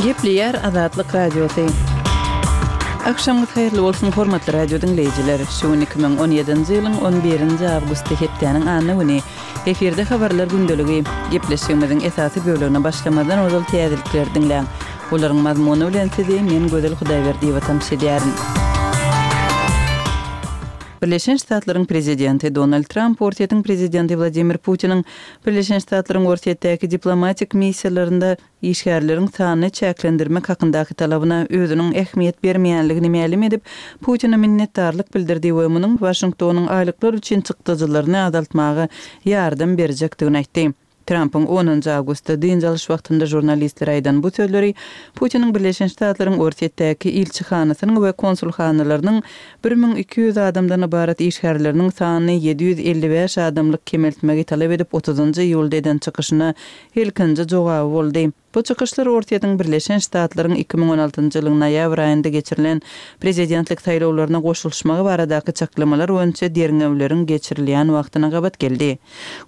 Gepleýär Azatlyk Radiosy. Agşamyňyz haýyrly bolsun, hormatly radio diňleýjiler! Şu gün 2017-nji ýylyň on birinji awgusty hepdäniň anna güni. Efirde habarlar gündeligi. Gepleşigimiziň esasy bölegine başlamazdan ozal täzelikleri diňläň. Olaryň mazmuny bilen sizi men Gözel Hudaýberdiýewa tanyş edýärin. Birleşen Ştatlaryň prezidenti Donald Tramp Orsýetiň prezidenti Wladimir Putiniň Birleşen Ştatlaryň Orsýetdäki diplomatik missiýalarynda işgärleriň sanyny çäklendirmek hakyndaky talabyna özüniň ähmiýet bermeýänligini mälim edip, Putine minnetdarlyk bildirdi we munuň Waşingtonyň aýlyklar üçin çykdajylaryny azaltmaga ýardam berjekdigini aýtdy. Trampyň onunjy awgustda dynç alyş wagtynda žurnalistlere aýdan bu sözleri Putiniň Birleşen Ştatlaryň Orsýetdäki ilçihanasynyň we konsulhanalarynyň 1200 adamdan ybarat işgärleriniň sanyny 755 adamlyk kemeltmegi talap edip otuzynjy iýulda eden çykyşyna ilkinji jogaby boldy. Bu çykyşlar Orsýetiň Birleşen Ştatlaryň 2016-njy ýylyň noýabr aýynda geçirilen prezidentlik saýlawlaryna goşulyşmagy baradaky çaklamalar boýunça derňewleriň geçirilýän wagtyna gabat geldi.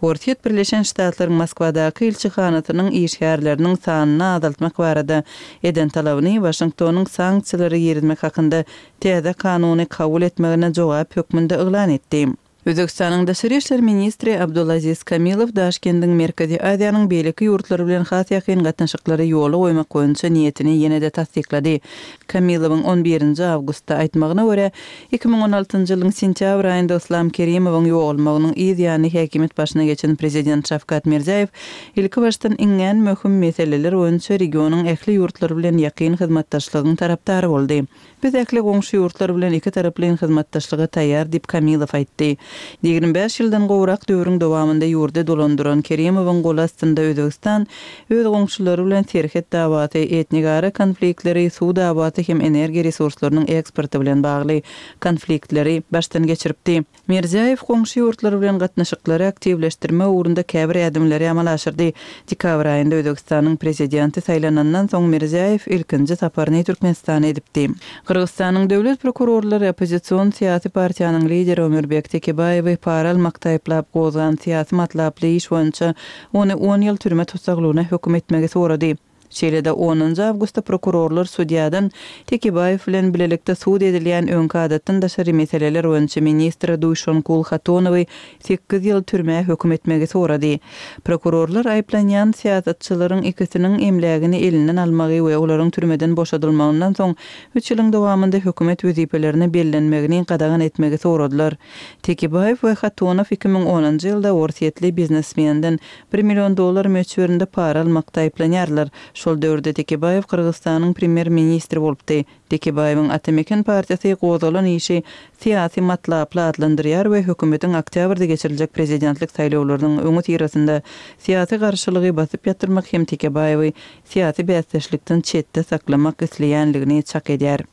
Orsýet Birleşen Ştatlaryň Moskwadaky ilçihanasynyň işgärleriniň sanyny azaltmak barada eden talabyny Waşingtonyň sanksiýalary girizmek hakynda täze kanuny kabul etmegine jogap hökmünde yglan etdi. Özbegistanyň daşary işler ministri Abdulaziz Kamilow Daşkendiň Merkezi Aziýanyň beýleki ýurtlary bilen has ýakyn gatnaşyklary ýola goýmak boýunça niýetini ýene-de tassyklady. Kamilowyň on birinji awgustda aýtmagyna görä, 2016-njy ýylyň sentýabr aýynda Yslam Kerimowyň ýogalmagynyň yz ýany häkimiýet başyna geçen prezident Şawkat Mirziýaýew ilkibaşdan iňňän möhüm meseleler boýunça regionyň ähli ýurtlary bilen ýakyn hyzmatdaşlygyň tarapdary boldy. Biz ähli goňşy ýurtlar bilen ikitaraplaýyn hyzmatdaşlyga taýýar diýip, Kamilow aýtdy. 25 ýyldan gowrak döwrüň dowamynda ýurdy dolandyran Kerimowyň goly astynda Özbegistan öz goňşulary bilen serhet dawasy, etnigara konfliktleri, suw dawasy hem energiýa resurslarynyň eksporty bilen bagly konfliktleri başdan geçiripdi. Mirziýaýew goňşy ýurtlar bilen gatnaşyklary aktiwleşdirmek ugrunda käbir ädimleri amala aşyrdy. Dekabr aýynda Özbegistanyň Prezidenti saýlanandan soň Mirziýaýew ilkinji saparyny Türkmenistana edipdi. Gyrgyzystanyň döwlet prokurorlary oppozision syýasy partiýanyň lideri Ömürbek Tekebaýewi para almakda aýyplap gozgan syýasy matlaply iş boýunça ony on ýyl türme tussaglygyna höküm etmegi sorady. Şeýle-de, onunjy awgustda prokurorlar sudýadan Tekebaýew bilen bilelikde sud edilýän öňki adatdan daşary meseleler boýunça ministri Duýşonkul Hatonowy sekiz ýyl türmä höküm etmegi sorady. Prokurorlar aýyplanýan syýasatçylaryň ikisiniň emlägini elinden almagy we olaryň türmeden boşadylmagyndan soň üç ýylyň dowamynda hökümet wezipelerine bellenmegini gadagan etmegi soradylar. Tekebaýew we Hatonow 2010-njy ýylda orsýetli biznesmenden Bir million dollar möçberinde para almakda aýyplanýarlar. Şol döwürde Tekebaýew Gyrgyzystanyň premýer-ministri bolupdy. Tekebaýewiň Ata Meken partiýasy gozgalan işi syýasy matlaply atlandyrýar we hökümetiň oktýabrda geçiriljek prezidentlik saýlawlarynyň öňüsyrasynda syýasy garşylygy basyp ýatyrmak hem Tekebaýewi syýasy bäsdeşlikden çetde saklamak isleýänligini çak edýär.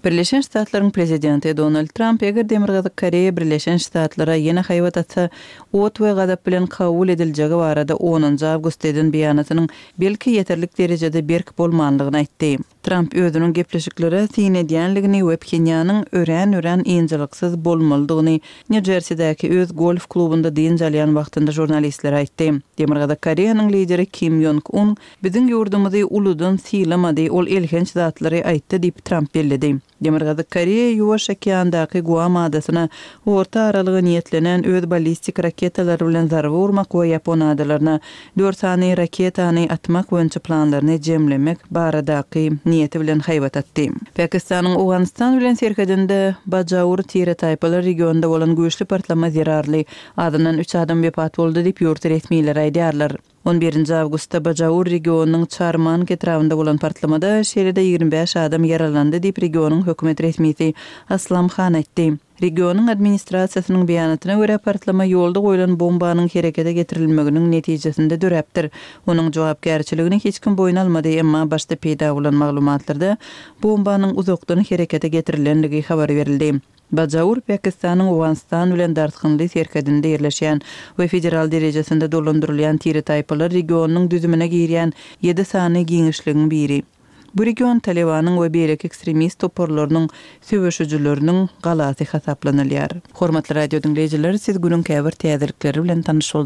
Birleşen Ştatlaryň prezidenti Donald Tramp eger Demirgazyk Koreýa Birleşen Ştatlara ýene haýbat atsa, ot we gazap bilen kabul ediljegi barada onunjy awgustda eden beýanatynyň belki ýeterlik derejede berk bolmanlygyny aýtdy. Tramp özüniň gepleşiklere syn edýänligini we Phenýanyň örän-örän ynjalyksyz bolmalydygyny Nýu-Jersidäki öz golf klubunda dynç alýan wagtynda žurnalistlere aýtdy. Demirgazyk Koreýanyň lideri Kim Ýong Un biziň ýurdumyzy uludan sylamady, ol elhenç zatlary aýtdy diýip, Tramp belledi. Demirgazyk Koreýa Ýuwaş okeandaky Guam adasyna orta aralyga niýetlenen öz ballistik raketalary bilen zarba urmak we Ýapon adalaryna dört sany raketany atmak boýunça planlaryny jemlemek baradaky niýeti bilen haýbat atdy. Pakistanyň Owganystan bilen serhedinde Bajaur tire-taýpalar regionynda bolan güýçli partlama zerarly azyndan üç adam wepat boldy diýip, ýurt resmileri aýdýarlar. On birinji awgustda Bajaur regionynyň Çarmank etrabynda bolan partlamada şeýle-de 25 adam ýaralandy diýip, regionyň hökümet resmisi Aslam Han aýtdy. Regionyň administrasiýasynyň beýanatyna görä, partlama ýolda goýlan bombanyň herekete getirilmeginiň netijesinde döräpdir. Onuň jogapkärçiligini hiç kim boýun almady, emma başda peýda bolan maglumatlarda bombanyň uzakdan herekete getirilenligi habar berildi. Bajaur Pakistanyň Owganystan bilen dartgynly serhedinde ýerleşýän we federal derejesinde dolandyrylýan tire-taýpalar regionynyň düzümine girýän ýedi sany giňişligiň biri. Bu region Talybanyň we beýleki ekstremist toparlarynyň söweşijileriniň galasy hasaplanylýar. Hormatly radio diňleýjiler, siz günüň käbir täzelikleri bilen tanyş bolduňyz.